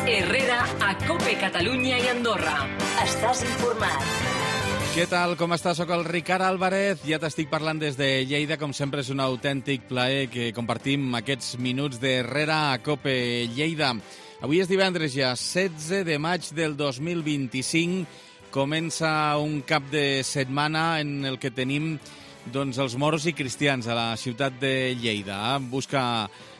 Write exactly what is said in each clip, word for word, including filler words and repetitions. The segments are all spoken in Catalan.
Herrera a COPE Catalunya i Andorra. Estàs informat. Què tal, com estàs? Soc el Ricard Álvarez, ja t'estic parlant des de Lleida. Com sempre és un autèntic plaer que compartim aquests minuts d'Herrera a COPE Lleida. Avui és divendres ja, setze de maig del dos mil vint-i-cinc. Comença un cap de setmana en el que tenim doncs, els moros i cristians a la ciutat de Lleida. Busca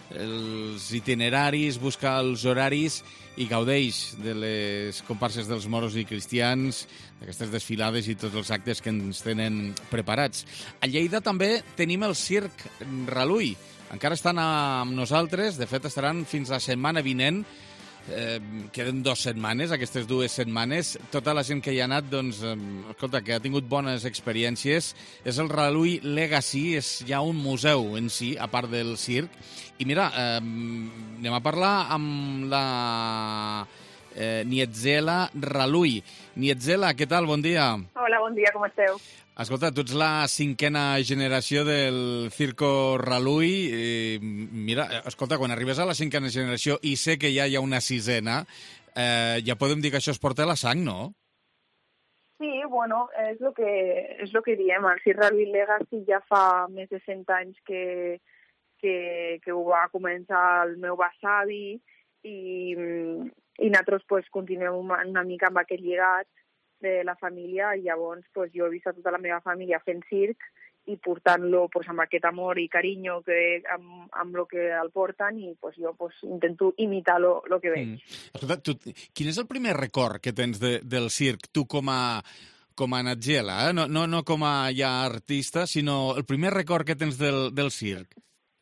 els itineraris, busca els horaris i gaudeix de les comparses dels moros i cristians, d'aquestes desfilades i tots els actes que ens tenen preparats. A Lleida també tenim el Circ Relull. Encara estan amb nosaltres, de fet estaran fins la setmana vinent. Eh, queden dues setmanes, aquestes dues setmanes. Tota la gent que hi ha anat, doncs, eh, escolta, que ha tingut bones experiències. És el Relull Legacy, és ja un museu en si, a part del circ. I mira, eh, anem a parlar amb la eh, Nietzela Relull. Nietzela, què tal? Bon dia. Hola, bon dia, com esteu? Escolta, tu ets la cinquena generació del Circo Relull. Eh, mira, escolta, quan arribes a la cinquena generació i sé que ja hi ha una sisena, eh, ja podem dir que això es porta a la sang, no? Sí, bueno, és el que, és lo que diem. El Circ Relull Legacy ja fa més de cent anys que, que, que ho va començar el meu besavi i, i nosaltres pues, continuem una, una mica amb aquest llegat de la família, i llavors pues, jo he vist a tota la meva família fent circ i portant-lo pues, amb aquest amor i carinyo que, amb, amb el que el porten, i pues, jo pues, intento imitar lo, lo que veig. Mm. Escolta, tu, quin és el primer record que tens de, del circ, tu com a, com a Nietzela, eh? no, no, no com a ja artista, sinó el primer record que tens del, del circ?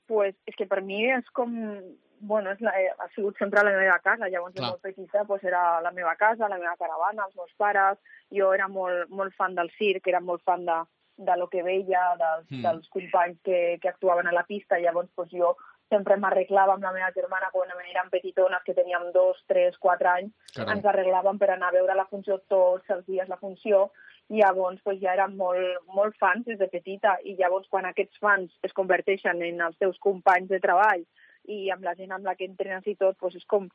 Pues, és que per mi és com... Bueno, és la, ha sigut sempre la meva casa. Llavors, de molt petita, pues, era la meva casa, la meva caravana, els meus pares. Jo era molt, molt fan del circ, era molt fan de, de lo que veia, dels, mm. dels companys que, que actuaven a la pista. Llavors, pues, jo sempre m'arreglava amb la meva germana quan érem petitones, que teníem dos, tres, quatre anys. Caram. Ens arreglàvem per anar a veure la funció tots els dies, la funció. I llavors pues, ja érem molt, molt fans des de petita. I llavors, quan aquests fans es converteixen en els teus companys de treball i amb la gent amb la que entrenes i tot, doncs és com,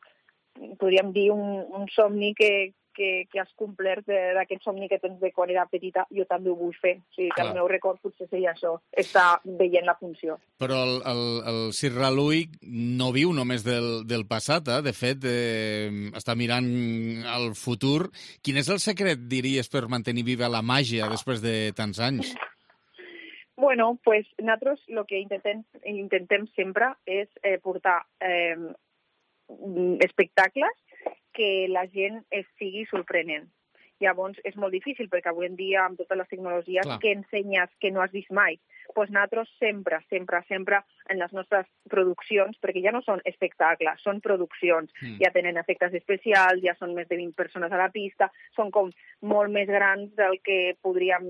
podríem dir, un, un somni que, que, que has complert d'aquest somni que tens de quan era petita. Jo també ho vull fer. O sigui, que el meu record potser seria això, estar veient la funció. Però el, el, el Circ Relull no viu només del, del passat, eh? De fet, eh, està mirant al futur. Quin és el secret, diries, per mantenir viva la màgia després de tants anys? Bueno, pues nosaltres el que intentem, intentem sempre és eh, portar eh, espectacles que la gent es sigui sorprenent. Llavors és molt difícil perquè avui en dia amb totes les tecnologies Clar. que ensenyes que no has vist mai. Pues nosaltres sempre, sempre, sempre en les nostres produccions, perquè ja no són espectacles, són produccions. Mm. Ja tenen efectes especials, ja són més de vint persones a la pista, són com molt més grans del que podríem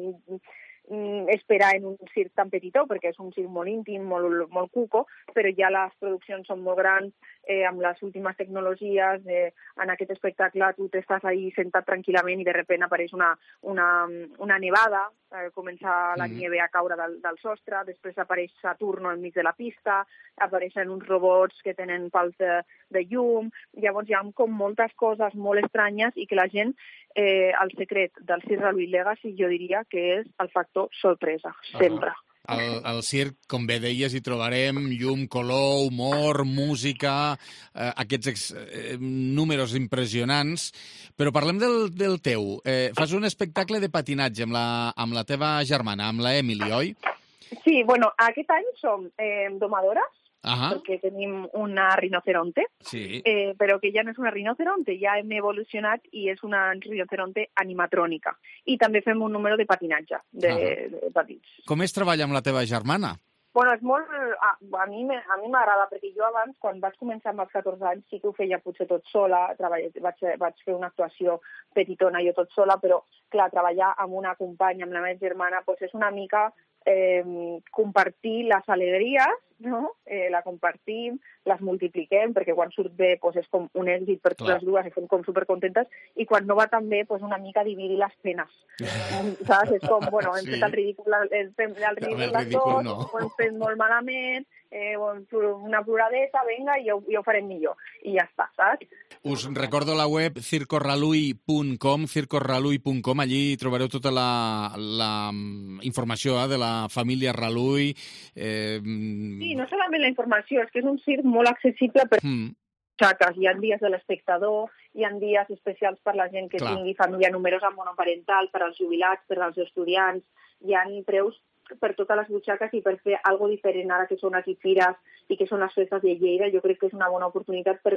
esperar en un circ tan petitó, perquè és un circ molt íntim, molt, molt cuco, però ja les produccions són molt grans, eh, amb les últimes tecnologies. Eh, en aquest espectacle tu t'estàs ahí sentat tranquil·lament i de sobte apareix una, una, una nevada, eh, comença la mm. nieve a caure del, del sostre, després apareix Saturno enmig de la pista, apareixen uns robots que tenen pals de, de llum. Llavors hi ha com moltes coses molt estranyes i que la gent, eh, el secret del Circ Relull Legacy jo diria que és el factor sorpresa, sempre. Uh-huh. Al, al circ, com bé deies, hi trobarem llum, color, humor, música, eh, aquests ex, eh, números impressionants. Però parlem del, del teu. Eh, fas un espectacle de patinatge amb la, amb la teva germana, amb la Emily, oi? Sí, bueno, aquest any som eh, domadores, Ajá. perquè tenim una rinoceronte, sí. eh, però que ja no és una rinoceronte, ja hem evolucionat i és una rinoceronte animatrònica. I també fem un número de patinatge, de, de patins. Com es treballa amb la teva germana? Bueno, és molt... A, a mi a mi m'agrada, perquè jo abans, quan vaig començar amb els catorze anys, sí que ho feia potser tot sola, treball, vaig, vaig fer una actuació petitona jo tot sola, però, clar, treballar amb una companya, amb la meva germana, doncs és una mica eh, compartir les alegries, no? Eh, la compartim, les multipliquem, perquè quan surt bé doncs és com un èxit per totes les dues, estem com supercontentes, i quan no va tan bé, doncs una mica dividir les penes. Saps? És com, bueno, hem sí. fet el ridícul, el, el, el ridícul, el ridícul no. ho hem fet molt malament, eh, una ploradeta, vinga, i ho, i ho farem millor. I ja està, saps? Us recordo la web circo ralui punt com, circo ralui punt com, allí trobareu tota la, la informació eh, de la família Ralui. Eh... Sí, no solament la informació, és que és un circ molt accessible per mm. xaques. Hi ha dies de l'espectador, hi ha dies especials per la gent que Clar. tingui família numerosa monoparental, per als jubilats, per als estudiants, hi ha preus per totes les butxaques i per fer alguna diferent ara que són aquí fires i que són les festes de Lleida. Jo crec que és una bona oportunitat per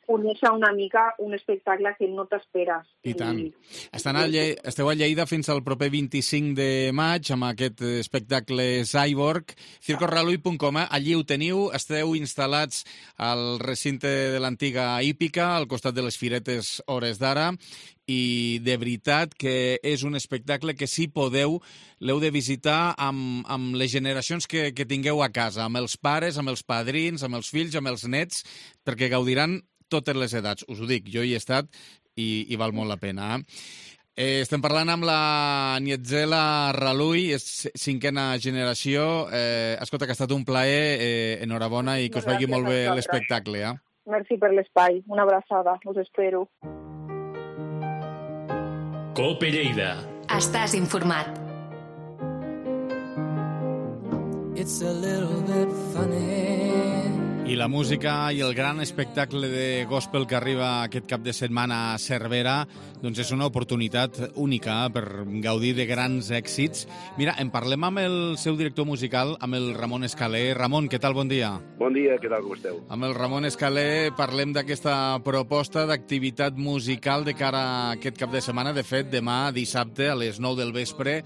conèixer una mica un espectacle que no t'esperes. I tant. I... Estan a Lle... Esteu a Lleida fins al proper vint-i-cinc de maig amb aquest espectacle Cyborg. circo ralui punt com, eh? Allí ho teniu, esteu instal·lats al recinte de l'antiga hípica, al costat de les firetes Hores d'Ara, i de veritat que és un espectacle que si podeu l'heu de visitar amb, amb les generacions que, que tingueu a casa, amb els pares, amb els padrins, amb els fills, amb els nets, perquè gaudiran totes les edats. Us ho dic, jo hi he estat i, i val molt la pena. Eh? Eh, estem parlant amb la Nietzela Ralui, és cinquena generació. Eh, escolta, que ha estat un plaer, eh, enhorabona i que us vagi molt bé l'espectacle. Eh? Merci per l'espai, una abraçada, us espero. Cope Lleida. Estàs informat. It's a little bit funny. I la música i el gran espectacle de gospel que arriba aquest cap de setmana a Cervera doncs és una oportunitat única per gaudir de grans èxits. Mira, en parlem amb el seu director musical, amb el Ramon Escaler. Ramon, què tal? Bon dia. Bon dia, què tal, com esteu? Amb el Ramon Escaler parlem d'aquesta proposta d'activitat musical de cara a aquest cap de setmana. De fet, demà, dissabte, a les nou del vespre,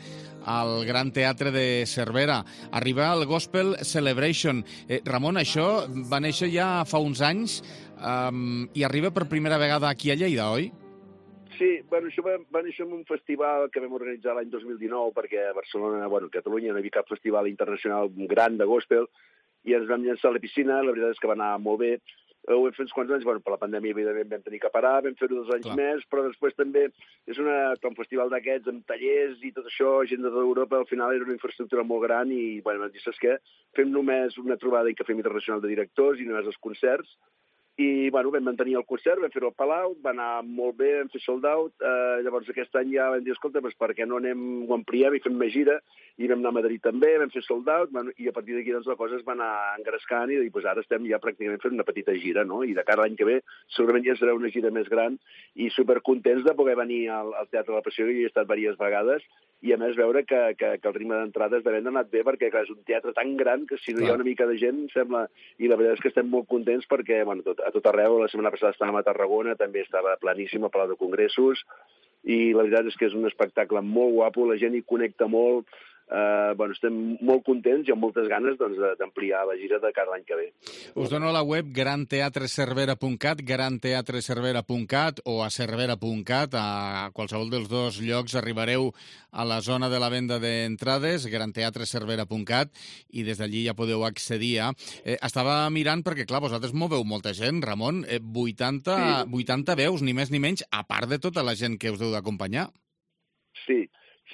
al Gran Teatre de Cervera. Arriba el Gospel Celebration. Eh, Ramon, això va néixer ja fa uns anys um, i arriba per primera vegada aquí a Lleida, oi? Sí, bueno, això va, va néixer en un festival que vam organitzar l'any dos mil dinou, perquè a Barcelona, bueno, a Catalunya no hi havia cap festival internacional gran de gospel, i ens vam llançar a la piscina. La veritat és que va anar molt bé. Ho vam fer uns quants anys, bueno, per la pandèmia evidentment vam tenir que parar, vam fer-ho dos anys Clar. més, però després també és una, un festival d'aquests amb tallers i tot això, gent de tota Europa, al final era una infraestructura molt gran i, bueno, vam dir, saps què? Fem només una trobada i cafè internacional de directors i només els concerts. I, bueno, vam mantenir el concert, vam fer-ho al Palau, va anar molt bé, vam fer sold out. Eh, llavors aquest any ja vam dir, escolta, doncs per què no anem, ho ampliem i fem més gira? I vam anar a Madrid també, vam fer sold out, bueno, i a partir d'aquí doncs, la cosa es va anar engrescant i doncs, ara estem ja pràcticament fent una petita gira, no? I de cara a l'any que ve segurament ja serà una gira més gran i supercontents de poder venir al, al Teatre de la Passió, que hi he estat diverses vegades, i a més veure que, que, que el ritme d'entrades de venda ha anat bé, perquè clar, és un teatre tan gran que si no hi ha una mica de gent, sembla... I la veritat és que estem molt contents perquè, bueno, tot, a tot arreu, la setmana passada estàvem a Tarragona, també estava planíssim al Palau de Congressos, i la veritat és que és un espectacle molt guapo, la gent hi connecta molt, eh, bueno, estem molt contents i amb moltes ganes doncs, d'ampliar la gira de cada any que ve. Us dono la web gran teatre cervera punt cat, gran teatre cervera punt cat o a cervera punt cat, a qualsevol dels dos llocs arribareu a la zona de la venda d'entrades, gran teatre cervera punt cat, i des d'allí ja podeu accedir a... Eh, estava mirant perquè, clar, vosaltres moveu molta gent, Ramon, eh, vuitanta, sí. vuitanta veus, ni més ni menys, a part de tota la gent que us deu d'acompanyar. Sí,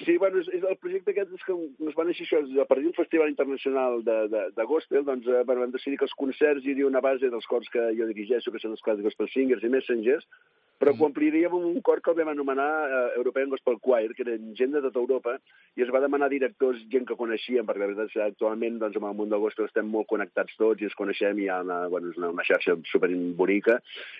sí, bueno, és, és el projecte aquest és que ens va néixer això, a partir d'un festival internacional de, de, de gospel, doncs eh, bueno, vam decidir que els concerts hi hauria una base dels cors que jo dirigeixo, que són els cors de Gospel Singers i Messengers, però mm. ho ampliaríem amb un cor que el vam anomenar eh, European Gospel Choir, que eren gent de tota Europa, i es va demanar directors, gent que coneixíem, perquè la veritat és que actualment doncs, amb el món del gospel estem molt connectats tots i ens coneixem i hi ha una, bueno, una, una xarxa superbonica.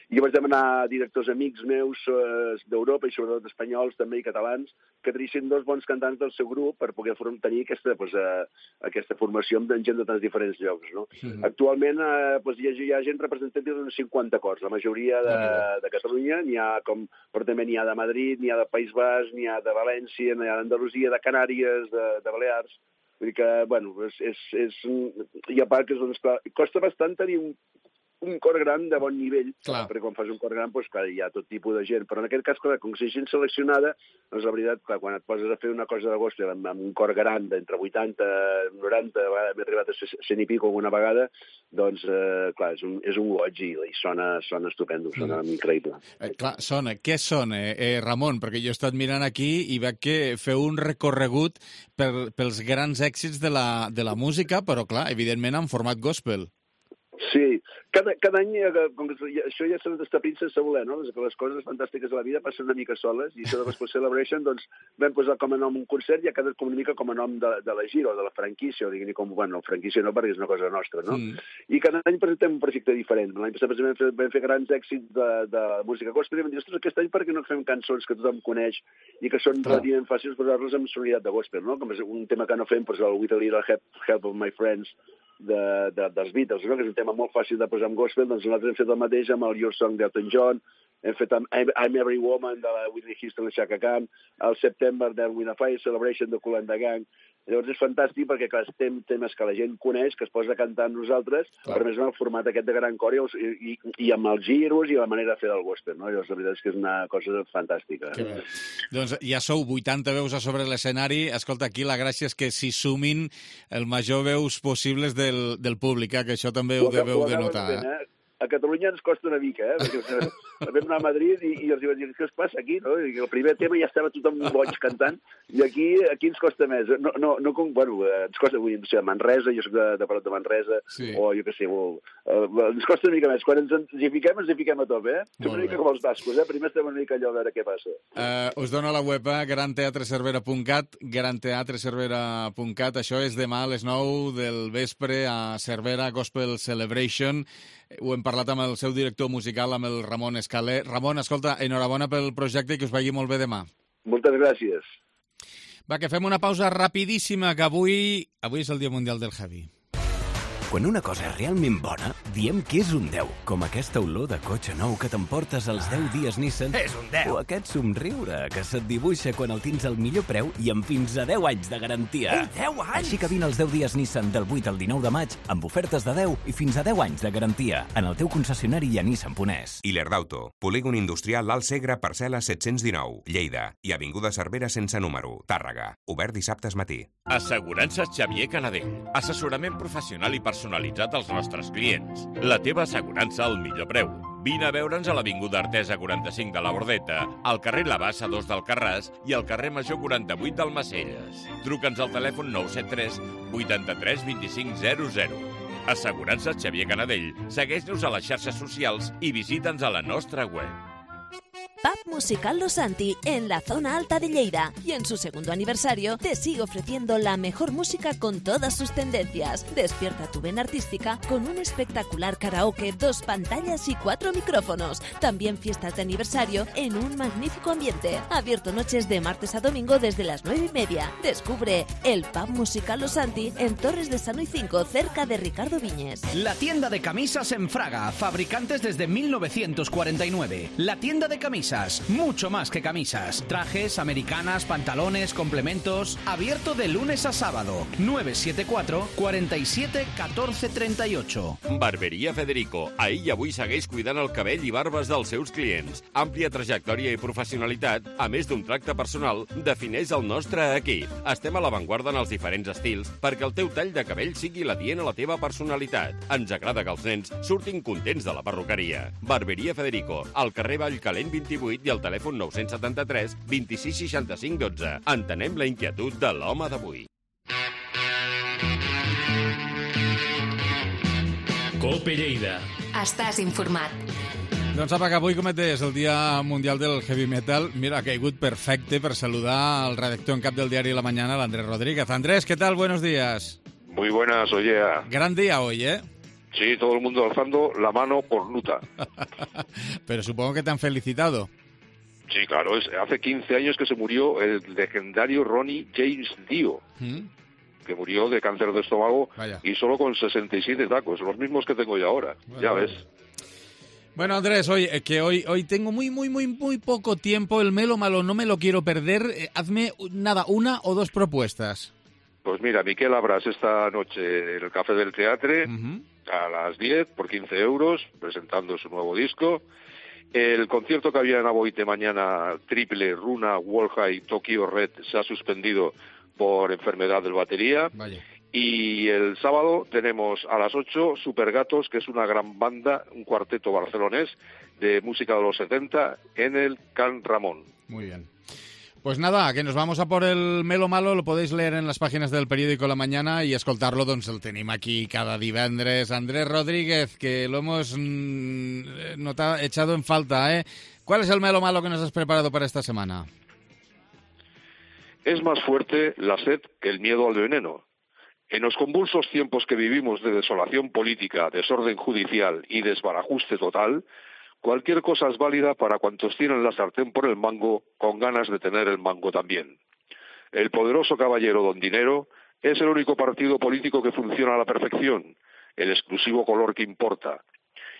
I vaig demanar directors amics meus eh, d'Europa i sobretot espanyols també i catalans que trissin dos bons cantants del seu grup per poder tenir aquesta, pues, eh, aquesta formació amb gent de tants diferents llocs. No? Mm-hmm. Actualment eh, pues, hi, ha, hi ha gent representativa d'uns cinquanta cors, la majoria de, de Catalunya, n'hi ha com, però també n'hi ha de Madrid, n'hi ha de País Basc, n'hi ha de València, n'hi ha d'Andalusia, de Canàries, de, de Balears. Vull dir que, bueno, és, és, és, hi ha part que doncs, clar, costa bastant tenir un, un cor gran de bon nivell, clar. Perquè quan fas un cor gran, doncs, clar, hi ha tot tipus de gent. Però en aquest cas, clar, com que si gent seleccionada, doncs la veritat, clar, quan et poses a fer una cosa de gospel amb, amb un cor gran d'entre vuitanta, noranta, m'he arribat a cent i pico alguna vegada, doncs, eh, clar, és un, és un goig i, i sona, sona estupendo, sona mm. increïble. Eh, clar, sona. Què sona, eh, Ramon? Perquè jo he estat mirant aquí i veig que feu un recorregut per, pels grans èxits de la, de la música, però, clar, evidentment en format gospel. Sí, cada, cada any, com que això ja s'ha d'estapint sense voler, no? Que les coses fantàstiques de la vida passen una mica soles, i això de Gospel Celebration, doncs, vam posar com a nom un concert i ha quedat com una mica com a nom de, de la gira o de la franquícia, o diguin-hi com, bueno, franquícia no, perquè és una cosa nostra, no? Mm. I cada any presentem un projecte diferent. L'any passat vam fer, vam fer grans èxits de, de música gospel i vam dir, ostres, aquest any per què no fem cançons que tothom coneix i que són relativament fàcils posar-les amb sonoritat de gospel, no? Com és un tema que no fem, doncs el With a Little Help, help of My Friends, De, de, dels Beatles, no? Que és un tema molt fàcil de posar en gospel, doncs nosaltres hem fet el mateix amb el Your Song d'Elton John, hem fet amb I'm Every Woman de la Whitney Houston i Chaka Khan, el September de Win a Fire Celebration de Kool and the Gang. Llavors és fantàstic perquè, clar, tem temes que la gent coneix, que es posa a cantar amb nosaltres, clar. Però més en el format aquest de gran cor i, i, i amb els giros i la manera de fer del gospel, no? Llavors, la veritat és que és una cosa fantàstica. Eh? Doncs ja sou vuitanta veus a sobre l'escenari. Escolta, aquí la gràcia és que s'hi sumin el major veus possibles del, del públic, eh? Que això també ho, ho deveu de notar. Ben, eh? A Catalunya ens costa una mica, eh? Perquè vam anar a Madrid i, i els diuen, què us passa aquí? No? I el primer tema ja estava tothom boig cantant, i aquí aquí ens costa més. No, no, no com, bueno, ens costa, vull dir, no sé, Manresa, jo soc de, de Parot de Manresa, sí. O jo què sé, o, uh, ens costa una mica més. Quan ens, ens hi fiquem, ens hi fiquem a top, eh? Som una mica com els bascos, eh? Primer estem una mica allò a veure què passa. Uh, us dono la web, eh? gran teatre cervera punt cat, gran teatre cervera punt cat. Això és demà a les nou del vespre a Cervera Gospel Celebration. Ho hem parlat amb el seu director musical, amb el Ramon Escaler. Ramon, escolta, enhorabona pel projecte i que us vagi molt bé demà. Moltes gràcies. Va, que fem una pausa rapidíssima, que avui, avui és el Dia Mundial del Heavy. Quan una cosa és realment bona, diem que és un deu, com aquesta olor de cotxe nou que t'emportes als deu dies Nissan. És un deu! O aquest somriure que se't dibuixa quan el tens al millor preu i amb fins a deu anys de garantia. Ei, deu anys! Així que vine als deu dies Nissan del vuit al dinou de maig amb ofertes de deu i fins a deu anys de garantia en el teu concessionari i a Nissan Ponès. Iler d'Auto, polígon industrial Alt Segre, parcel·la set-cents dinou, Lleida, i avinguda Cervera sense número, Tàrrega. Obert dissabtes matí. Assegurances Xavier Canadell. Assessorament professional i personalitzat als nostres clients. La teva assegurança al millor preu. Vine a veure'ns a l'Avinguda Artesa quaranta-cinc de la Bordeta, al carrer La Bassa dos d'Alcarràs i al carrer Major quaranta-vuit d'Almacelles. Truca'ns al telèfon nou set tres vuitanta-tres vint-i-cinc zero zero. Assegurances Xavier Canadell. Segueix-nos a les xarxes socials i visita'ns a la nostra web. Pub Musical Los Santi, en la zona alta de Lleida, y en su segundo aniversario te sigue ofreciendo la mejor música con todas sus tendencias. Despierta tu vena artística con un espectacular karaoke, dos pantallas y cuatro micrófonos. También fiestas de aniversario en un magnífico ambiente. Abierto noches de martes a domingo desde las nueve y media. Descubre el Pub Musical Los Santi en Torres de Sanoy cinco, cerca de Ricardo Viñes. La tienda de camisas en Fraga, fabricantes desde mil novecientos cuarenta y nueve. La tienda de camisas. Mucho más que camisas. Trajes, americanas, pantalones, complementos. Abierto de lunes a sábado. nueve siete cuatro, cuarenta y siete, catorce treinta y ocho. Barberia Federico. Ahir i avui segueix cuidant el cabell i barbes dels seus clients. Àmplia trajectòria i professionalitat, a més d'un tracte personal, defineix el nostre equip. Estem a l'avantguarda en els diferents estils perquè el teu tall de cabell sigui l'adient a la teva personalitat. Ens agrada que els nens surtin contents de la perruqueria. Barberia Federico. Al carrer Vallcalent vint-i-vuit i al telèfon nou setanta-tres vint-i-sis seixanta-cinc dotze. Entenem la inquietud de l'home d'avui. Cope Lleida. Estàs informat. Doncs apa, que avui, com et deies, el Dia Mundial del Heavy Metal, mira, ha caigut perfecte per saludar al redactor en cap del diari La Mañana, l'Andrés Rodríguez. Andrés, ¿qué tal? Buenos días. Muy buenas, oye. Gran día hoy, ¿eh? Sí, todo el mundo alzando la mano cornuta. Pero supongo que te han felicitado. Sí, claro, es, hace quince años que se murió el legendario Ronnie James Dio, ¿Mm? que murió de cáncer de estómago. Vaya. Y solo con sesenta y siete tacos, los mismos que tengo yo ahora, bueno, ya ves. Bueno, Andrés, hoy, que hoy, hoy tengo muy, muy, muy, muy poco tiempo, el melo malo no me lo quiero perder. Eh, hazme, nada, una o dos propuestas. Pues mira, Miquel Abras esta noche en el Café del Teatre, uh-huh. a las diez por quince euros, presentando su nuevo disco. El concierto que había en Aboite mañana, triple, Runa, Wolja y Tokyo Red, se ha suspendido por enfermedad del batería. Vaya. Y el sábado tenemos a las ocho Supergatos, que es una gran banda, un cuarteto barcelonés de música de los setenta en el Can Ramón. Muy bien. Pues nada, que nos vamos a por el Melo Malo, lo podéis leer en las páginas del periódico La Mañana y escoltarlo, doncs el tenim aquí cada divendres. Andrés Rodríguez, que lo hemos mm, notado, echado en falta, ¿eh? ¿Cuál es el Melo Malo que nos has preparado para esta semana? Es más fuerte la sed que el miedo al veneno. En los convulsos tiempos que vivimos de desolación política, desorden judicial y desbarajuste total, cualquier cosa es válida para cuantos tienen la sartén por el mango con ganas de tener el mango también. El poderoso caballero Don Dinero es el único partido político que funciona a la perfección, el exclusivo color que importa.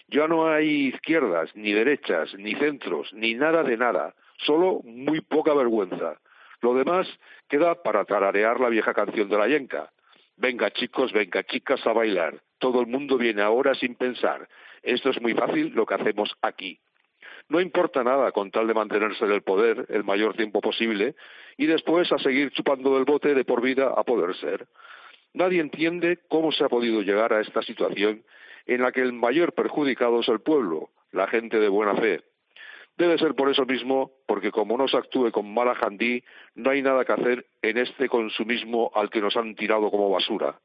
Ya no hay izquierdas, ni derechas, ni centros, ni nada de nada, solo muy poca vergüenza. Lo demás queda para tararear la vieja canción de la yenca. Venga chicos, venga chicas a bailar. Todo el mundo viene ahora sin pensar. Esto es muy fácil lo que hacemos aquí. No importa nada con tal de mantenerse en el poder el mayor tiempo posible y después a seguir chupando del bote de por vida a poder ser. Nadie entiende cómo se ha podido llegar a esta situación en la que el mayor perjudicado es el pueblo, la gente de buena fe. Debe ser por eso mismo, porque como no se actúe con mala jandí, no hay nada que hacer en este consumismo al que nos han tirado como basura.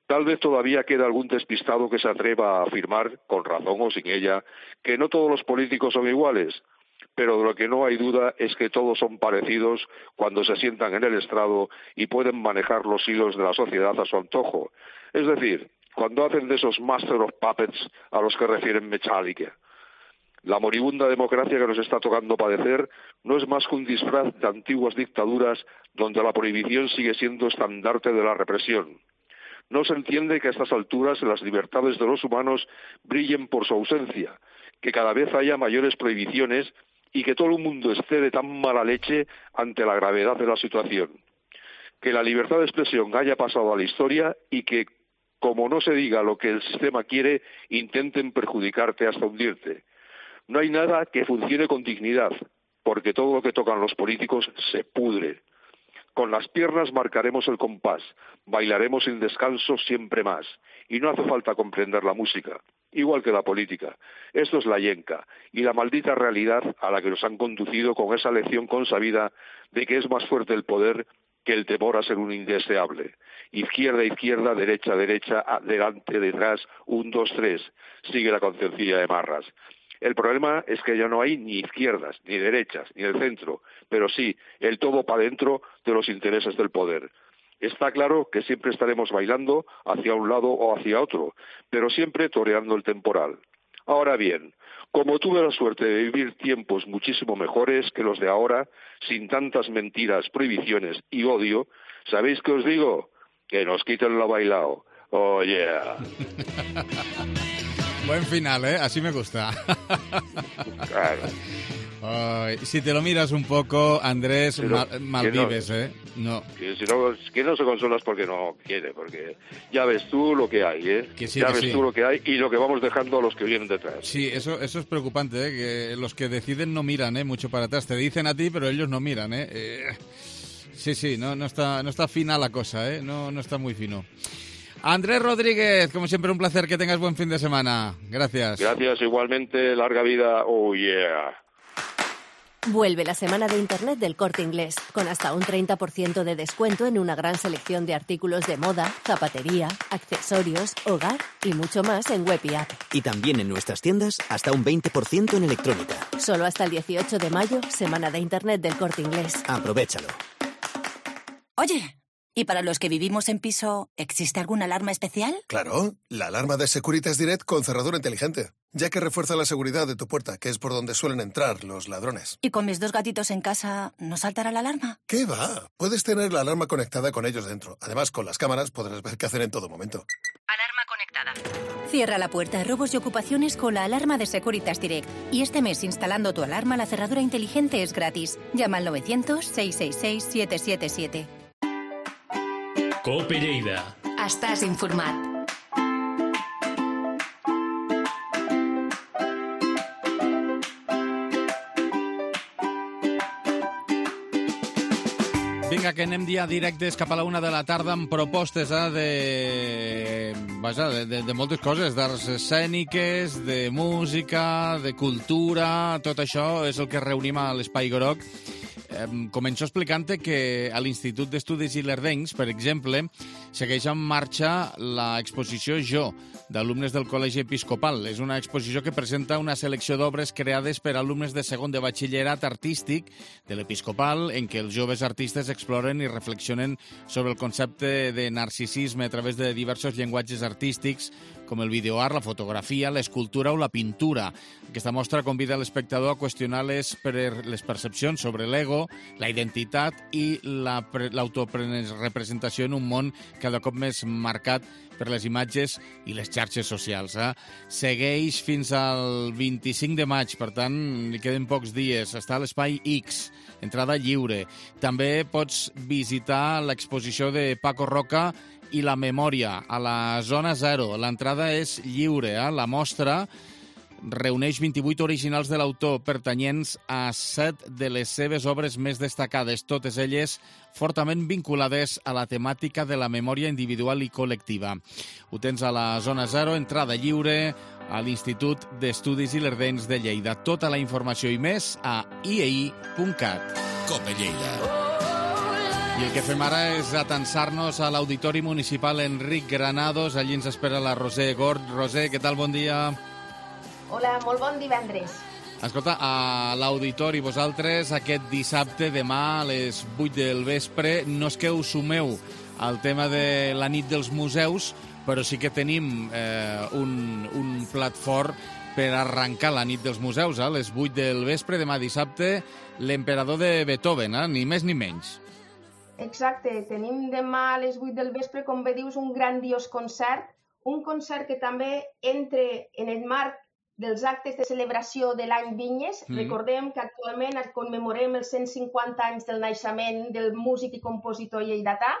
Tal vez todavía queda algún despistado que se atreva a afirmar, con razón o sin ella, que no todos los políticos son iguales, pero de lo que no hay duda es que todos son parecidos cuando se sientan en el estrado y pueden manejar los hilos de la sociedad a su antojo. Es decir, cuando hacen de esos Master of Puppets a los que refieren Metallica. La moribunda democracia que nos está tocando padecer no es más que un disfraz de antiguas dictaduras donde la prohibición sigue siendo estandarte de la represión. No se entiende que a estas alturas las libertades de los humanos brillen por su ausencia, que cada vez haya mayores prohibiciones y que todo el mundo esté de tan mala leche ante la gravedad de la situación. Que la libertad de expresión haya pasado a la historia y que, como no se diga lo que el sistema quiere, intenten perjudicarte hasta hundirte. No hay nada que funcione con dignidad, porque todo lo que tocan los políticos se pudre. Con las piernas marcaremos el compás, bailaremos sin descanso siempre más, y no hace falta comprender la música, igual que la política. Esto es la yenca, y la maldita realidad a la que nos han conducido con esa lección consabida de que es más fuerte el poder que el temor a ser un indeseable. Izquierda, izquierda, derecha, derecha, adelante, detrás, un, dos, tres, sigue la concencilla de Marras. El problema es que ya no hay ni izquierdas, ni derechas, ni el centro, pero sí el todo para dentro de los intereses del poder. Está claro que siempre estaremos bailando hacia un lado o hacia otro, pero siempre toreando el temporal. Ahora bien, como tuve la suerte de vivir tiempos muchísimo mejores que los de ahora, sin tantas mentiras, prohibiciones y odio, ¿sabéis qué os digo? Que nos quiten lo bailao. Oh, yeah. Buen final, ¿eh? Así me gusta. Claro. Ay, si te lo miras un poco, Andrés, Pero, mal, mal no, vives, ¿eh? No. Que, si no, que no se consolas porque no quiere, porque ya ves tú lo que hay, ¿eh? Que sí, ya que ves sí. tú lo que hay y lo que vamos dejando a los que vienen detrás. Sí, eso, eso es preocupante, ¿eh? Que los que deciden no miran, ¿eh? Mucho para atrás. Te dicen a ti, pero ellos no miran, ¿eh? eh sí, sí, no, no, está, no está fina la cosa, ¿eh? No, no está muy fino. Andrés Rodríguez, como siempre un placer, que tengas buen fin de semana. Gracias. Gracias, igualmente, larga vida, oh yeah. Vuelve la semana de Internet del Corte Inglés, con hasta un treinta por ciento de descuento en una gran selección de artículos de moda, zapatería, accesorios, hogar y mucho más en web y app. Y también en nuestras tiendas hasta un veinte por ciento en electrónica. Solo hasta el dieciocho de mayo, semana de Internet del Corte Inglés. Aprovéchalo. Oye, ¿y para los que vivimos en piso, existe alguna alarma especial? Claro, la alarma de Securitas Direct con cerradura inteligente, ya que refuerza la seguridad de tu puerta, que es por donde suelen entrar los ladrones. ¿Y con mis dos gatitos en casa, no saltará la alarma? ¿Qué va? Puedes tener la alarma conectada con ellos dentro. Además, con las cámaras podrás ver qué hacer en todo momento. Alarma conectada. Cierra la puerta a robos y ocupaciones con la alarma de Securitas Direct. Y este mes, instalando tu alarma, la cerradura inteligente es gratis. Llama al novecientos, seiscientos sesenta y seis, siete siete siete. Cope Lleida. Estàs informat. Vinga, que anem ja directes cap a la una de la tarda amb propostes eh, de, vaja, de, de, de moltes coses, d'arts escèniques, de música, de cultura, tot això és el que reunim a l'Espai Groc. Començo explicant-te que a l'Institut d'Estudis Ilerdencs, per exemple, segueix en marxa l'exposició Jo, d'alumnes del Col·legi Episcopal. És una exposició que presenta una selecció d'obres creades per alumnes de segon de batxillerat artístic de l'Episcopal, en què els joves artistes exploren i reflexionen sobre el concepte de narcisisme a través de diversos llenguatges artístics, com el videoart, la fotografia, l'escultura o la pintura. Aquesta mostra convida l'espectador a qüestionar les, les percepcions sobre l'ego, la identitat i l'autorepresentació en un món cada cop més marcat per les imatges i les xarxes socials. Eh? Segueix fins al vint-i-cinc de maig, per tant, li queden pocs dies. Està a l'Espai X, entrada lliure. També pots visitar l'exposició de Paco Roca i la memòria a la zona zero. L'entrada és lliure. Eh? La mostra reuneix vint-i-vuit originals de l'autor pertanyents a set de les seves obres més destacades, totes elles fortament vinculades a la temàtica de la memòria individual i col·lectiva. Ho tens a la zona zero, entrada lliure, a l'Institut d'Estudis Ilerdencs de Lleida. Tota la informació i més a i e i punt cat. Cope Lleida. I el que fem ara és atensar-nos a l'Auditori Municipal Enric Granados. Allí ens espera la Roser Gord. Roser, què tal? Bon dia. Hola, molt bon divendres. Escolta, a l'Auditori, vosaltres aquest dissabte, demà a les vuit del vespre, no és que us sumeu al tema de la nit dels museus, però sí que tenim eh, un, un plat fort per arrencar la nit dels museus. A les vuit del vespre, demà dissabte, l'emperador de Beethoven, eh? Ni més ni menys. Exacte, tenim demà a les vuit del vespre, com bé dius, un grandiós concert, un concert que també entra en el marc dels actes de celebració de l'any Vinyes. Mm. Recordem que actualment commemorem els cent cinquanta anys del naixement del músic i compositor lleidatà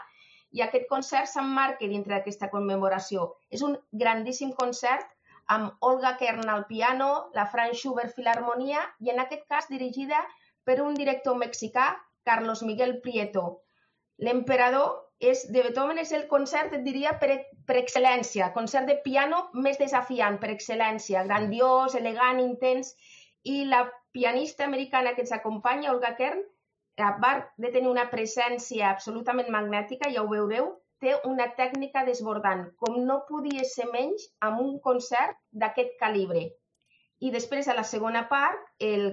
i aquest concert s'emmarca dintre d'aquesta commemoració. És un grandíssim concert amb Olga Kern al piano, la Franz Schubert Filharmonia i en aquest cas dirigida per un director mexicà, Carlos Miguel Prieto. L'emperador és, de Beethoven és el concert, et diria, per, per excel·lència, concert de piano més desafiant per excel·lència, grandiós, elegant, intens, i la pianista americana que ens acompanya, Olga Kern, a part de tenir una presència absolutament magnètica, ja ho veureu, té una tècnica desbordant, com no podia ser menys amb un concert d'aquest calibre. I després, a la segona part, el,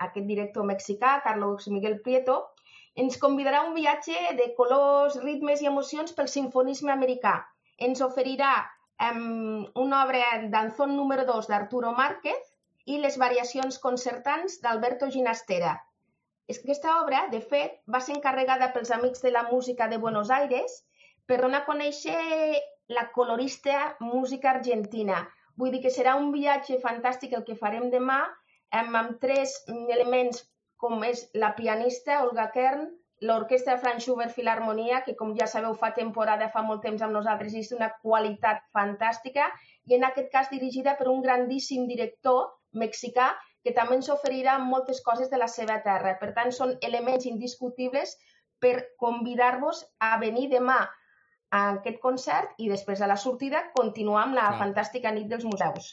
aquest director mexicà, Carlos Miguel Prieto, ens convidarà a un viatge de colors, ritmes i emocions pel sinfonisme americà. Ens oferirà um, una obra d'Anzón número dos d'Arturo Márquez i les variacions concertants d'Alberto Ginastera. Aquesta obra, de fet, va ser encarregada pels Amics de la Música de Buenos Aires per donar a conèixer la colorista música argentina. Vull dir que serà un viatge fantàstic el que farem demà amb, amb tres elements com és la pianista Olga Kern, l'orquestra Franz Schubert Filharmonia, que com ja sabeu fa temporada, fa molt temps amb nosaltres, és d'una qualitat fantàstica, i en aquest cas dirigida per un grandíssim director mexicà que també ens oferirà moltes coses de la seva terra. Per tant, són elements indiscutibles per convidar-vos a venir demà a aquest concert i després a la sortida continuar amb la Clar. fantàstica nit dels museus.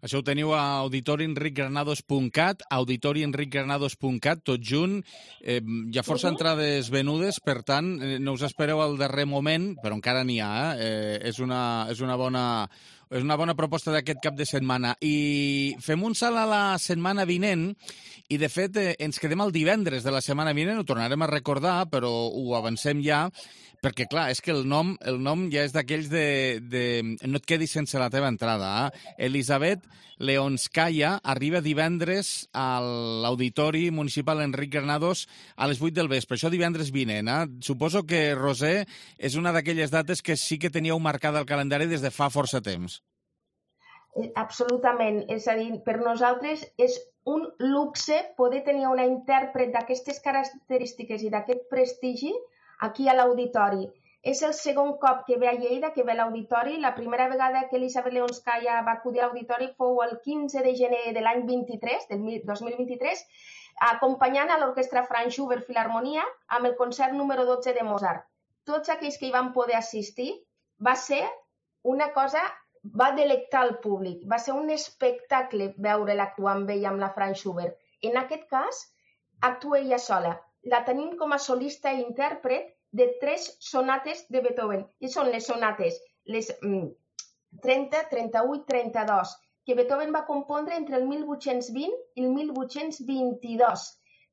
Això ho teniu a auditori enric granados punt cat, auditori enric granados punt cat, tot junt. Eh, hi ha força uh -huh. entrades venudes, per tant, eh, no us espereu al darrer moment, però encara n'hi ha. Eh? Eh, és, una, és una bona... És una bona proposta d'aquest cap de setmana. I fem un salt a la setmana vinent i, de fet, eh, ens quedem el divendres de la setmana vinent, ho tornarem a recordar, però ho avancem ja, perquè, clar, és que el nom, el nom ja és d'aquells de, de... No et quedis sense la teva entrada. Eh? Elisabet Leonskaya arriba divendres a l'Auditori Municipal Enric Granados a les vuit del vespre. Això divendres vinent. Eh? Suposo que, Roser, és una d'aquelles dates que sí que teníeu marcada al calendari des de fa força temps. Absolutament. És a dir, per nosaltres és un luxe poder tenir una intèrpret d'aquestes característiques i d'aquest prestigi aquí a l'Auditori. És el segon cop que ve a Lleida, que ve a l'Auditori. La primera vegada que Elisabet Leonskaya va acudir a l'Auditori fou el quinze de gener de l'any vint-i-tres, del dos mil vint-i-tres, acompanyant a l'orquestra Franz Schubert Filharmonia amb el concert número dotze de Mozart. Tots aquells que hi van poder assistir va ser una cosa, va delectar el públic, va ser un espectacle veure-la actuar amb ella, amb la Franz Schubert. En aquest cas, actua ella sola. la tenim com a solista i intèrpret de tres sonates de Beethoven. I són les sonates, les mm, trenta, trenta-vuit, trenta-dos, que Beethoven va compondre entre el mil vuit-cents vint i el mil vuit-cents vint-i-dos,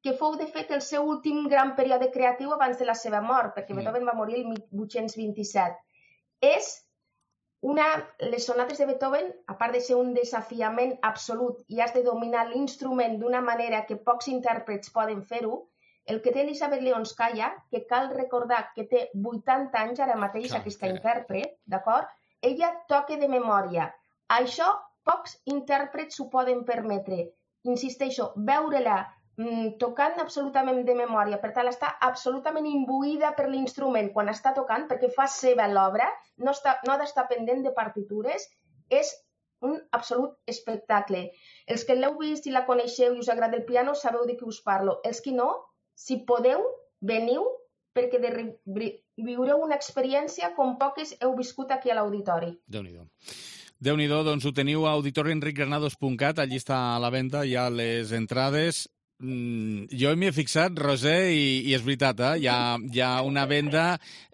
que fou, de fet, el seu últim gran període creatiu abans de la seva mort, perquè Beethoven va morir el mil vuit-cents vint-i-set. És una... Les sonates de Beethoven, a part de ser un desafiament absolut i has de dominar l'instrument d'una manera que pocs intèrprets poden fer-ho, el que té Elisabet Leonskaya, que cal recordar que té vuitanta anys ara mateix, Clar, aquesta que... intèrpret, d'acord? Ella toca de memòria. Això pocs intèrprets s'ho poden permetre. Insisteixo, veure-la mm, tocant absolutament de memòria, per tant, està absolutament imbuïda per l'instrument quan està tocant, perquè fa seva l'obra, no, està, no ha d'estar pendent de partitures, és un absolut espectacle. Els que l'heu vist i la coneixeu i us agrada el piano, sabeu de què us parlo. Els que no, si podeu, veniu, perquè de viureu una experiència com poques heu viscut aquí a l'auditori. Déu-n'hi-do. Déu-n'hi-do, doncs ho teniu a auditori enric granados punt cat, allí està a la venda, hi ha les entrades. Mm, jo m'hi he fixat, Roser, i, i és veritat, eh? hi, ha, hi ha una venda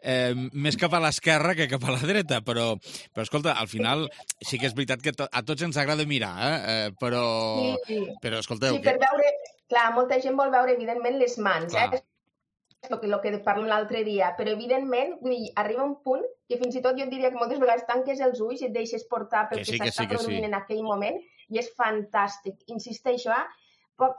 eh, més cap a l'esquerra que cap a la dreta, però, però escolta, al final sí que és veritat que to, a tots ens agrada mirar, eh? Eh, però, sí. però escolteu... Sí, per veure... Clar, molta gent vol veure, evidentment, les mans, Clar. eh? És el que, el que parlem l'altre dia, però, evidentment, vull dir, arriba un punt que fins i tot jo diria que moltes vegades tanques els ulls i et deixes portar pel que, que, sí, que s'està sí, produint sí. en aquell moment, i és fantàstic. Insisteixo, eh?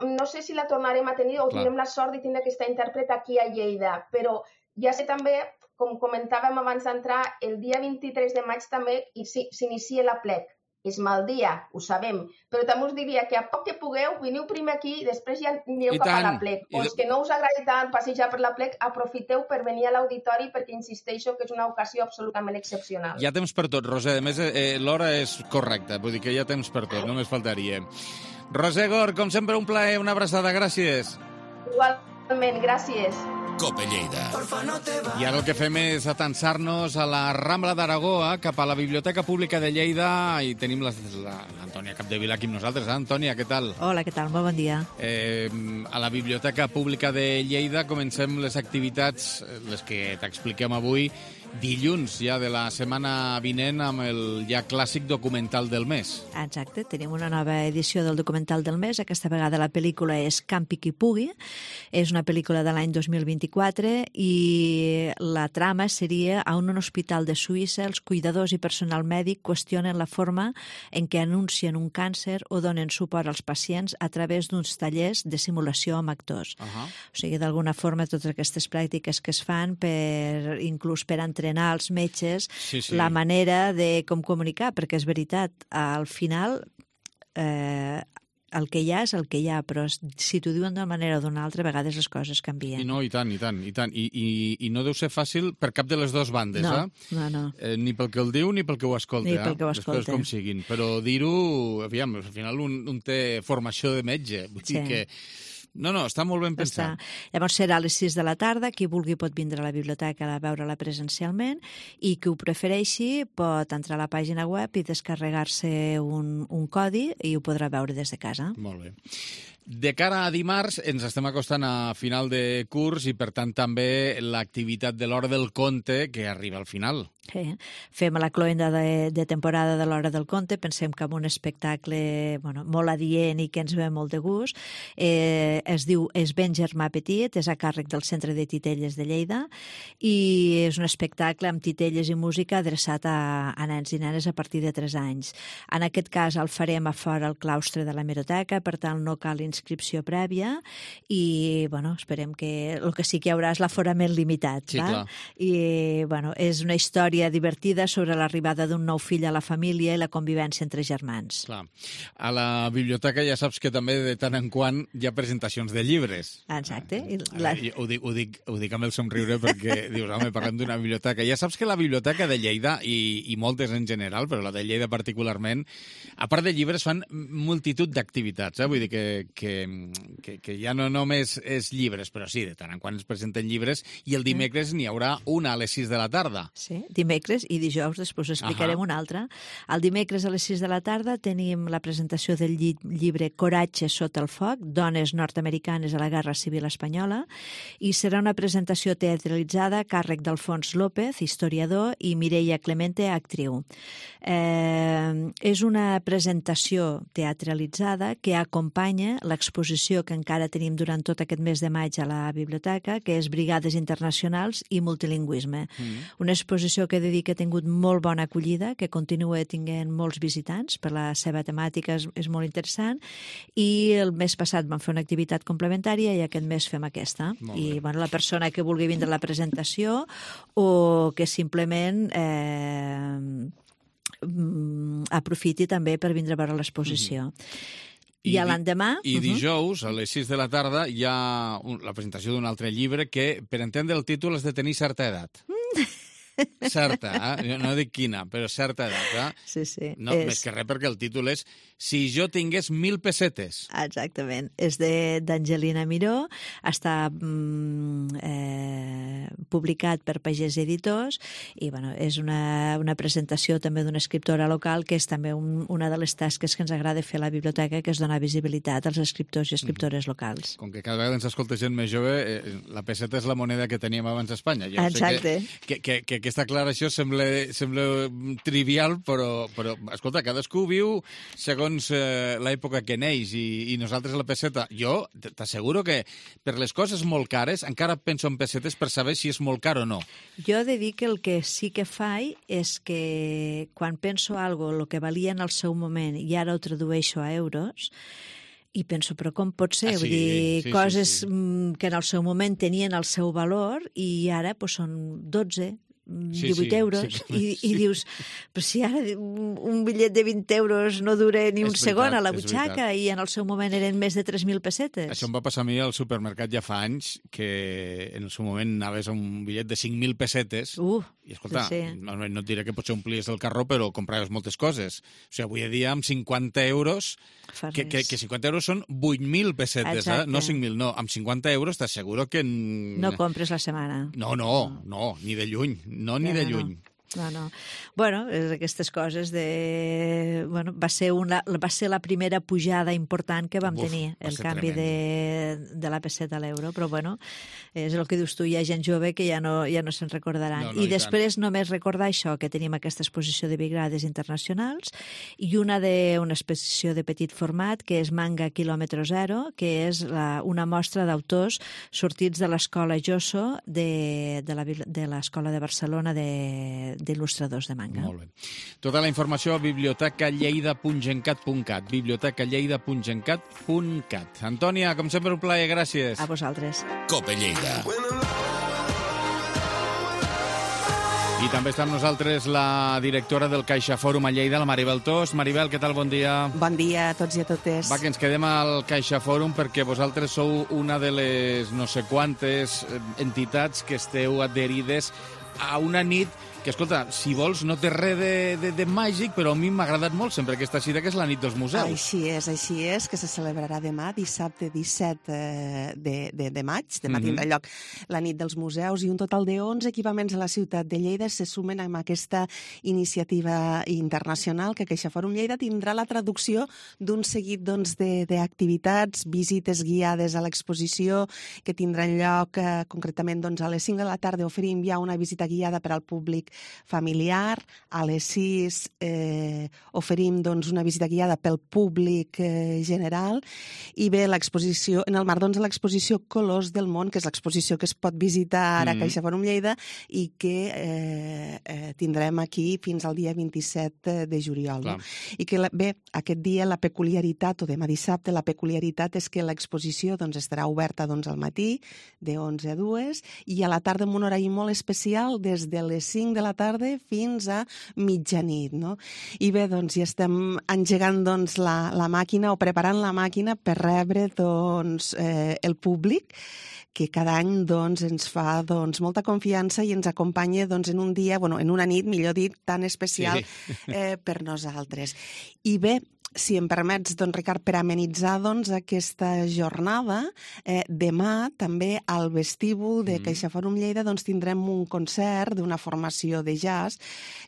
No sé si la tornarem a tenir o Clar. tindrem la sort de tindre aquesta intèrpret aquí a Lleida, però ja sé també, com comentàvem abans d'entrar, el dia vint-i-tres de maig també s'inicia la plec. És mal dia, ho sabem, però també us diria que a poc que pugueu, veniu primer aquí i després ja anireu cap a la plec. O els que no us agradi tant passejar per la plec, aprofiteu per venir a l'auditori perquè insisteixo que és una ocasió absolutament excepcional. Hi ha temps per tot, Roser. A més, eh, l'hora és correcta, vull dir que hi ha temps per tot, només faltaria. Roser Gor, com sempre, un plaer, una abraçada, gràcies. Igualment, gràcies. Cope Lleida. I ara el que fem és atansar-nos a la Rambla d'Aragó, eh, cap a la Biblioteca Pública de Lleida, i tenim l'Antònia Capdevila aquí amb nosaltres. Eh? Antònia, què tal? Hola, què tal? Molt bon dia. Eh, a la Biblioteca Pública de Lleida comencem les activitats, les que t'expliquem avui, dilluns ja de la setmana vinent amb el ja clàssic documental del mes. Exacte, tenim una nova edició del documental del mes. Aquesta vegada la pel·lícula és Campi qui pugui. És una pel·lícula de l'any dos mil vint-i-quatre i la trama seria a un hospital de Suïssa els cuidadors i personal mèdic qüestionen la forma en què anuncien un càncer o donen suport als pacients a través d'uns tallers de simulació amb actors. Uh-huh. O sigui, d'alguna forma, totes aquestes pràctiques que es fan per, inclús per entrenar els metges sí, sí. la manera de com comunicar, perquè és veritat, al final eh, el que hi ha és el que hi ha, però si t'ho diuen d'una manera o d'una altra, a vegades les coses canvien. I no, i tant, i tant, i tant. I, i, i no deu ser fàcil per cap de les dues bandes, no, eh? No, no. Eh, ni pel que el diu ni pel que ho escolta. Ni pel que ho escolta. escolta. Després com siguin. Però dir-ho, aviam, al final un, un té formació de metge. Vull sí. dir que... No, no, està molt ben pensat. Està. Llavors serà a les sis de la tarda, qui vulgui pot vindre a la biblioteca a veure-la presencialment i qui ho prefereixi pot entrar a la pàgina web i descarregar-se un, un codi i ho podrà veure des de casa. Molt bé. De cara a dimarts ens estem acostant a final de curs i per tant també l'activitat de l'Hora del Conte que arriba al final. Sí. Fem la cloenda de, de temporada de l'Hora del Conte, pensem que amb un espectacle bueno, molt adient i que ens ve molt de gust. Eh, es diu Es ben germà petit, és a càrrec del Centre de Titelles de Lleida i és un espectacle amb titelles i música adreçat a, a nens i nenes a partir de tres anys. En aquest cas el farem a fora al claustre de l'hemeroteca, per tant no cal inscripció prèvia i bueno, esperem que el que sí que hi haurà és l'aforament limitat. Sí, va? clar. I bueno, és una història divertida sobre l'arribada d'un nou fill a la família i la convivència entre germans. Clar. A la biblioteca ja saps que també de tant en quant hi ha presentacions de llibres. Exacte. I la... ho, dic, ho, dic, ho dic amb el somriure perquè dius, home, parlem d'una biblioteca. Ja saps que la biblioteca de Lleida, i, i moltes en general, però la de Lleida particularment, a part de llibres fan multitud d'activitats, eh? Vull dir que, que, que, que ja no només és llibres, però sí, de tant en quant es presenten llibres, i el dimecres n'hi haurà una a les sis de la tarda. Sí, dimecres i dijous, després explicarem uh -huh. una altra. El dimecres a les sis de la tarda tenim la presentació del lli llibre Coratge sota el foc, dones nord-americanes a la Guerra Civil Espanyola, i serà una presentació teatralitzada a càrrec d'Alfons López, historiador, i Mireia Clemente, actriu. Eh, és una presentació teatralitzada que acompanya l'exposició que encara tenim durant tot aquest mes de maig a la biblioteca, que és Brigades Internacionals i Multilingüisme. Mm. Una exposició que he de dir que ha tingut molt bona acollida, que continua tinguent molts visitants, per la seva temàtica és, és molt interessant, i el mes passat vam fer una activitat complementària i aquest mes fem aquesta. I bueno, la persona que vulgui vindre a la presentació o que simplement eh, aprofiti també per vindre a veure l'exposició. Mm-hmm. I, I l'endemà... I, i dijous, a les sis de la tarda, hi ha un, la presentació d'un altre llibre que, per entendre el títol, has de tenir certa edat. Certa, eh? No dic quina, però certa edat. Eh? Sí, sí. No, és... Més que res perquè el títol és Si jo tingués mil pessetes. Exactament. És d'Angelina Miró, està mm, eh, publicat per Pagès Editors i bueno, és una, una presentació també d'una escriptora local que és també un, una de les tasques que ens agrada fer a la biblioteca, que és donar visibilitat als escriptors i escriptores locals. Com que cada vegada ens escolta gent més jove, eh, la pesseta és la moneda que teníem abans a Espanya. Ja Exacte. Sé que, que, que, que aquesta aclaració sembla, sembla trivial, però, però escolta, cadascú viu segons eh, l'època que neix i, i nosaltres la pesseta. Jo t'asseguro que per les coses molt cares encara penso en pessetes per saber si és molt car o no. Jo he de dir que el que sí que faig és que quan penso algo, el que valia en el seu moment i ara ho tradueixo a euros, i penso, però com pot ser? Ah, sí, Vull dir, sí, coses sí, sí. que en el seu moment tenien el seu valor i ara pues, són dotze, Sí, divuit sí, euros, sí, i, sí. i dius, però si ara un, un bitllet de vint euros no dura ni un És segon veritat, a la és butxaca veritat. i en el seu moment eren més de tres mil pessetes. Això em va passar a mi al supermercat ja fa anys, que en el seu moment anaves a un bitllet de cinc mil pessetes uh, i, escolta, sí. no, no et diré que potser omplies el carró, però compraves moltes coses. O sigui, avui dia amb cinquanta euros, que, que, que cinquanta euros són vuit mil pessetes, eh? No cinc mil, no. Amb cinquanta euros t'asseguro que... No compres la setmana. No, no, no, ni de lluny, no ni de lluny. No, no. Bueno, és aquestes coses de... Bueno, va ser, una, va ser la primera pujada important que vam Uf, tenir, el canvi de, de la pesseta a l'euro, però bueno, és el que dius tu, hi ha gent jove que ja no, ja no se'n recordaran. No, no, I, i després tant. Només recordar això, que tenim aquesta exposició de Brigades Internacionals i una de una exposició de petit format, que és Manga Kilòmetre Zero, que és la, una mostra d'autors sortits de l'escola Josso de, de l'escola de Barcelona de d'il·lustradors de manga. Molt bé. Tota la informació a biblioteca lleida punt gencat punt cat, biblioteca lleida punt gencat punt cat. Antònia, com sempre, un plaer, gràcies. A vosaltres. Cope Lleida. I també està amb nosaltres la directora del CaixaForum a Lleida, la Maribel Tos. Maribel, què tal? Bon dia. Bon dia a tots i a totes. Va, que ens quedem al CaixaForum perquè vosaltres sou una de les no sé quantes entitats que esteu adherides a una nit que, escolta, si vols, no té res de, de, de màgic, però a mi m'ha agradat molt sempre aquesta cita, que és la nit dels museus. Així és, així és, que se celebrarà demà, dissabte disset de, de, de maig. Demà mm-hmm. tindrà lloc la nit dels museus i un total de onze equipaments a la ciutat de Lleida se sumen amb aquesta iniciativa internacional que CaixaForum Lleida tindrà la traducció d'un seguit doncs, d'activitats, visites guiades a l'exposició que tindran lloc eh, concretament doncs, a les cinc de la tarda oferim ja una visita guiada per al públic familiar, a les sis eh, oferim doncs, una visita guiada pel públic eh, general i bé, l'exposició, en el marc doncs, de l'exposició Colors del Món, que és l'exposició que es pot visitar ara a mm. CaixaForum Lleida i que eh, eh, tindrem aquí fins al dia vint-i-set de juliol. No? I que la, bé, aquest dia la peculiaritat, o demà dissabte, la peculiaritat és que l'exposició doncs, estarà oberta doncs, al matí, de onze a dues, i a la tarda amb un horari molt especial des de les cinc de la tarda fins a mitjanit, no? I bé, doncs, ja estem engegant doncs, la, la màquina o preparant la màquina per rebre doncs, eh, el públic que cada any doncs, ens fa doncs, molta confiança i ens acompanya doncs, en un dia, bueno, en una nit, millor dit, tan especial sí. eh, per nosaltres. I bé, si em permets, doncs, Ricard, per amenitzar doncs, aquesta jornada, eh, demà també al vestíbul de CaixaFòrum Lleida doncs, tindrem un concert d'una formació de jazz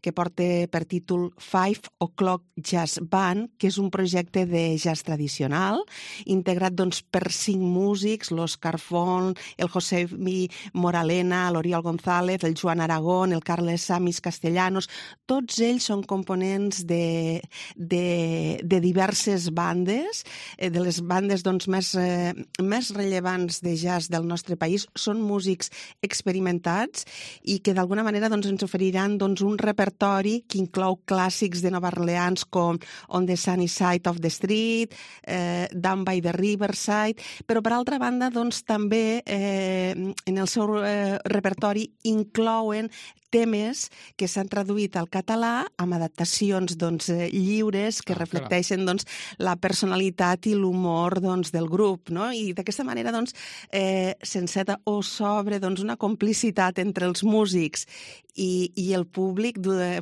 que porta per títol Five O'Clock Jazz Band, que és un projecte de jazz tradicional, integrat doncs, per cinc músics, l'Òscar Font, el José Mi Moralena, l'Oriol González, el Joan Aragón, el Carles Samis Castellanos. Tots ells són components de, de, de diverses bandes, de les bandes doncs, més, eh, més rellevants de jazz del nostre país. Són músics experimentats i que d'alguna manera doncs, ens oferiran doncs, un repertori que inclou clàssics de Nova Orleans com On the Sunny Side of the Street, eh, Down by the Riverside, però per altra banda doncs, també eh, en el seu eh, repertori inclouen temes que s'han traduït al català amb adaptacions doncs, lliures que ah, reflecteixen doncs, la personalitat i l'humor doncs, del grup. No? I d'aquesta manera doncs, eh, s'enceta o s'obre doncs, una complicitat entre els músics i, i el públic,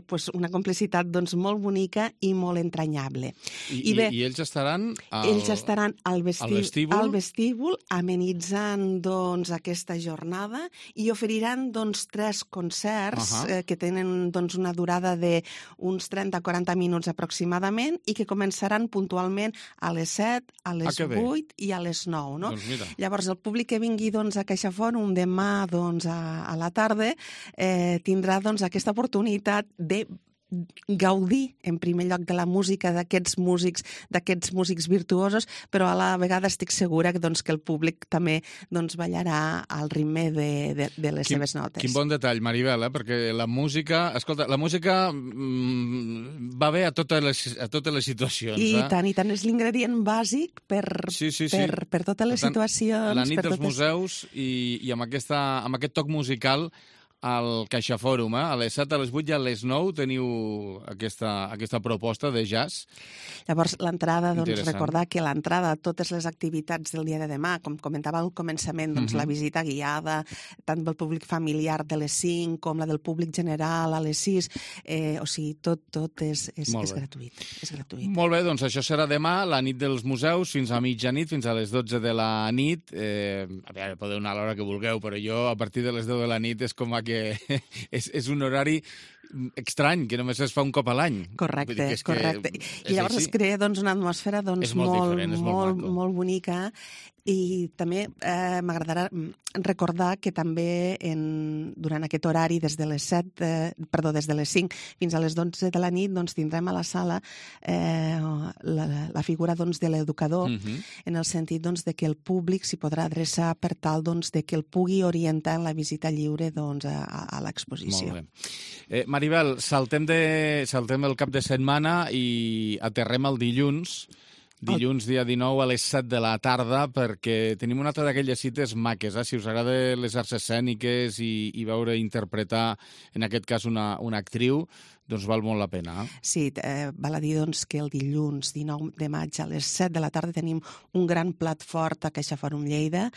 pues, una complicitat doncs, molt bonica i molt entranyable. I, I, bé, i ells estaran al, ells estaran al, vestíbul, al, vestíbul? al vestíbul amenitzant doncs, aquesta jornada i oferiran doncs, tres concerts Uh-huh. eh, que tenen doncs, una durada d'uns trenta a quaranta minuts aproximadament i que començaran puntualment a les set, a les ah, vuit i a les nou. No? Doncs Llavors, el públic que vingui doncs, a CaixaFòrum demà doncs, a, a la tarda eh, tindrà doncs, aquesta oportunitat de gaudir, en primer lloc, de la música d'aquests músics, d'aquests músics virtuosos, però a la vegada estic segura que, doncs, que el públic també doncs, ballarà al ritme de, de, de les quin, seves notes. Quin bon detall, Maribel, eh? Perquè la música, escolta, la música mm, va bé a totes les, a totes les situacions. I eh? tant, i tant, és l'ingredient bàsic per, sí, sí, sí. per, per totes les tant, situacions. La nit per dels totes... museus i, i amb, aquesta, amb aquest toc musical al CaixaFòrum, eh? A les set, a les vuit i a les nou teniu aquesta, aquesta proposta de jazz. Llavors, l'entrada, doncs, recordar que l'entrada a totes les activitats del dia de demà, com comentava al començament, doncs, uh-huh. la visita guiada, tant del públic familiar de les cinc com la del públic general a les sis, eh, o sigui, tot, tot és, és, és gratuït. És gratuït. Molt bé, doncs això serà demà, la nit dels museus, fins a mitjanit, fins a les dotze de la nit. Eh, a veure, podeu anar a l'hora que vulgueu, però jo, a partir de les deu de la nit, és com a que és, és un horari estrany, que només es fa un cop a l'any. Correcte, que és correcte. Que I llavors es crea doncs, una atmosfera doncs, molt, molt, diferent, molt, molt, molt bonica i també eh, m'agradarà recordar que també en, durant aquest horari des de les set, eh, perdó, des de les cinc fins a les dotze de la nit doncs, tindrem a la sala eh, la, la figura doncs, de l'educador uh-huh. en el sentit doncs, de que el públic s'hi podrà adreçar per tal doncs, de que el pugui orientar en la visita lliure doncs, a, a l'exposició. Molt bé. Eh, Maribel, saltem, de, saltem el cap de setmana i aterrem el dilluns. Dilluns, dia dinou, a les set de la tarda, perquè tenim una altra d'aquelles cites maques, eh? Si us agrada les arts escèniques i, i veure interpretar, en aquest cas, una, una actriu, doncs val molt la pena. Eh? Sí, eh, val a dir doncs, que el dilluns dinou de maig a les set de la tarda tenim un gran plat fort a CaixaFòrum Lleida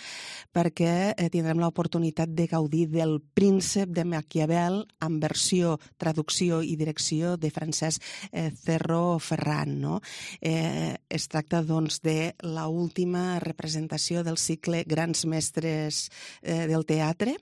perquè eh, tindrem l'oportunitat de gaudir del Príncep de Maquiavel en versió, traducció i direcció de Francesc eh, Cerro Ferran. No? Eh, es tracta doncs, de l'última representació del cicle Grans Mestres eh, del Teatre,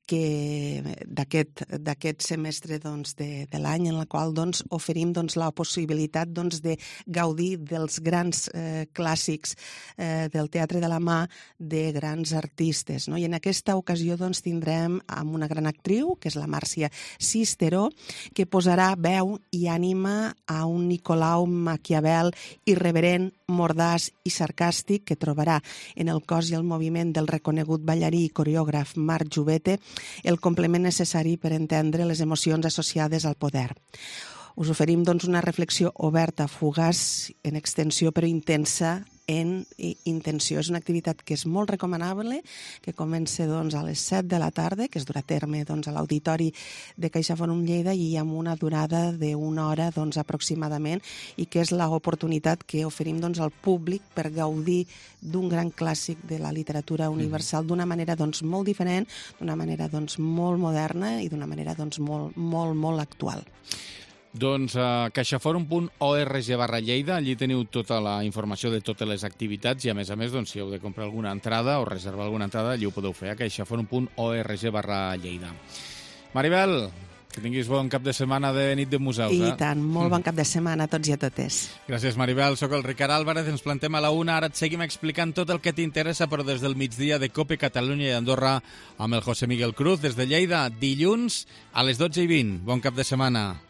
que d'aquest semestre doncs, de, de l'any en la qual doncs, oferim doncs, la possibilitat doncs, de gaudir dels grans eh, clàssics eh, del teatre de la mà de grans artistes. No? I en aquesta ocasió doncs, tindrem amb una gran actriu, que és la Màrcia Cisteró, que posarà veu i ànima a un Nicolau Maquiavel irreverent, mordaç i sarcàstic que trobarà en el cos i el moviment del reconegut ballarí i coreògraf Marc Jovete el complement necessari per entendre les emocions associades al poder. Us oferim doncs, una reflexió oberta, fugaç, en extensió però intensa en intenció. És una activitat que és molt recomanable, que comença doncs, a les set de la tarda, que es durà a terme doncs, a l'auditori de CaixaFòrum Lleida i amb una durada d'una hora doncs, aproximadament, i que és l'oportunitat que oferim doncs, al públic per gaudir d'un gran clàssic de la literatura universal d'una manera doncs, molt diferent, d'una manera doncs, molt moderna i d'una manera doncs, molt, molt, molt actual. Doncs a caixaforum punt org barra Lleida, allí teniu tota la informació de totes les activitats i, a més a més, doncs, si heu de comprar alguna entrada o reservar alguna entrada, allí ho podeu fer a caixaforum punt org barra Lleida. Maribel, que tinguis bon cap de setmana de nit de museus. I eh? tant, molt bon cap de setmana a tots i a totes. Gràcies, Maribel. Soc el Ricard Álvarez, ens plantem a la una. Ara et seguim explicant tot el que t'interessa, però des del migdia de COPE Catalunya i Andorra amb el José Miguel Cruz des de Lleida, dilluns a les dotze i vint. Bon cap de setmana.